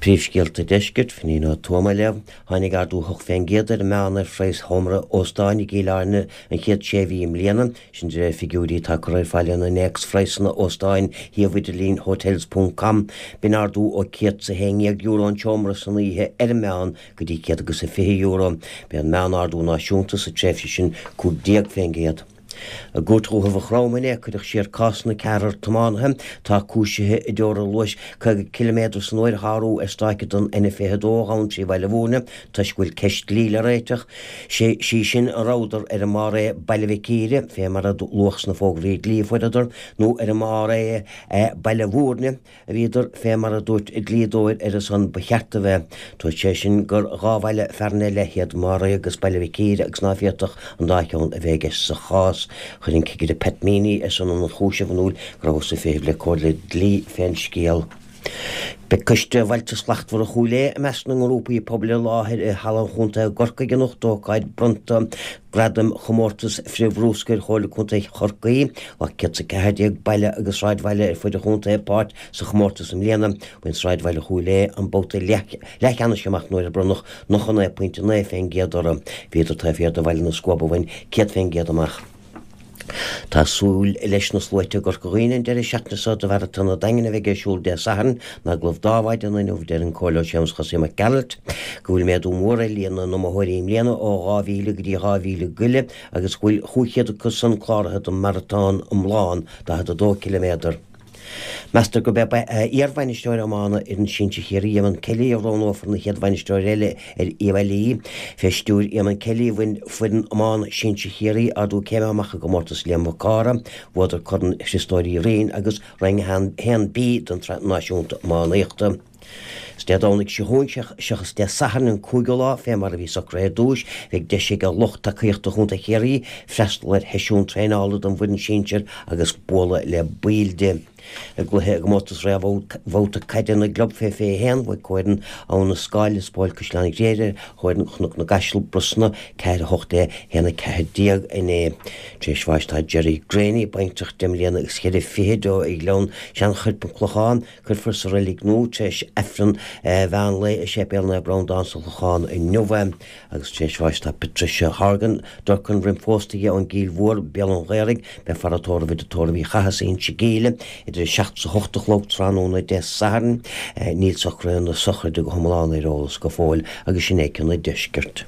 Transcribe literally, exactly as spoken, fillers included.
Príomhscéalta Deiscirt, Finín Ó Tuama libh, tháinig ardú hocht fén gcéad ar an meán ar phraghas sheomra óstáin i gCill Airne an chéad sé mhí i mbliana, sin de réir figiúirí atá curtha ar fáil in innéacs phraghsanna óstáin shuíomh idirlín hotels ponc com. B'in ardú ó céad is a haon dhéag euro an seomra san oíche ar an meán go dtí céad agus a fiche euro. B'é an meán-ardú náisiúnta sa tréimhse sin cúig déag fén gcéad. I gCúirt Dhúiche Mhaigh Chromtha inné cuireadh siar cásanna ceathrar tiománaithe atá cúisithe i dteorainn luais caoga ciliméadar san uair a shárú ar stáice don N fiche a dó a ghabhann trí Bhaile Bhúirne toisc go bhfuil ceist dlí le réiteach. Sí sin an rabhadar ar an mbarr é Baile Mhic Íre, fé mar a luadh sna fógraí dlí a fuaireadar, nó ar an mbarr é Baile Bhúirne. a bhíodar fé mar a dúirt a dlíodóir ar a son ba cheart a bheith. Dúirt sé sin gur dhá bhaile fearainn ar leith iad Maray agus Baile Mhic Íre agus ná féadfadh an dá cheann a bheith i gceist sa chás. Chuir an Cigire Pat Meaney ar son an ionchúisimh in iúl go rabhthas ag feitheamh le comhairle dlí fén scéal. Beidh Coiste Bhailte Slachtmhara Chúil Aodha i measc na ngrúpaí pobail i láthair i Halla an Chontae i gCorcaigh anocht d'ócáid bronnta Gradaim Chomórtas Frith-Bhrúscair Chomhairle Contae Chorcaí. Ghlac céad is a ceathair déag baile agus sráidbhaile ar fud an chontae páirt sa chomórtas i mbliana. Bhain sráidbhaile Chúil Aodha an babhta leathcheannais amach nuair a bronnadh nócha naoi pointe naoi fén gcéad orthu. Bhíodar taobh thiar de Bhaile na Scuab a bhain céad fén gcéad amach. Tá súil leis na sluaite i gCorca Dhuibhne an deireadh seachtaine seo do Mharatón an Daingin a bheidh ar siúl Dé Sathairn. In agallamh dó ar maidin inniu deir an Comhairleoir Séamus Chosaí Mac Gearailt go bhfuil méadú mór ar líon na n-iomaitheoirí i mbliana ó dhá mhíle go dtí dhá mhíle go leith agus go bhfuil chúig chéad acu san cláraithe don maratón iomlán, daichead a dó ciliméadar. Meastar gurb é iar-bhainisteoir iomána fhoireann sinsir Chiarraí, Eamonn Kelly, a roghnófar ina chéad bhainisteoir eile ar Uíbh Fhailí. Fé stiúir Eamonn Kelly, bhain foireann iomána sinsir Chiarraí ardú céime amach i gcomórtas Liam Mhic Cártha. Bhuadar Corn Chriostóir Uí Rinn agus Roinn a haon B den tSraith Náisiúnta Iománaíochta. Is Dé Domhnaigh seo chugainn, seachas Dé Sathairn an cúigiú lá, fé mar a bhí socraithe ar dtúis, beidh deis ag lucht tacaíochta Chontae Chiarraí freastal ar sheisiún traenála don bhfoireann sinsir agus bualadh le baill di. I gcluiche i gcomórtas réamhbhabhta caide na gclub fé fiche a haon, bhuaigh comhfhoireann Abha na Scáil, Lios Póil Caisleán Ghriaire ar chomhfhoireann Chnoc na gCaiseal, Brosna, ceathair a hocht a haon a ceathair déag inné. Tar éis bháis tá Gerry Greaney, baintreach deich mbliana agus cheithre fichid ó Ghleann Seanchoirp, An Clochán. Cuirfear sa reilig nua tar éis Aifreann mheán lae i Séipéal Naomh Breandán sa Chlochán inniu é. Agus tar éis bháis tá Patricia Horgan, Durcan roim phósta dhi ón gCill Mhór, Béal an Ghaorthaidh. Beifear á tórramh i dtigh tórraimh Uí Chathasaigh, Inse Gíle, idir a seacht is a hocht a chlog tráthnóna Dé Sathairn. Níl socruithe na sochraide go hiomlán ar eolas go fóill agus sin é cionn an deiscirt.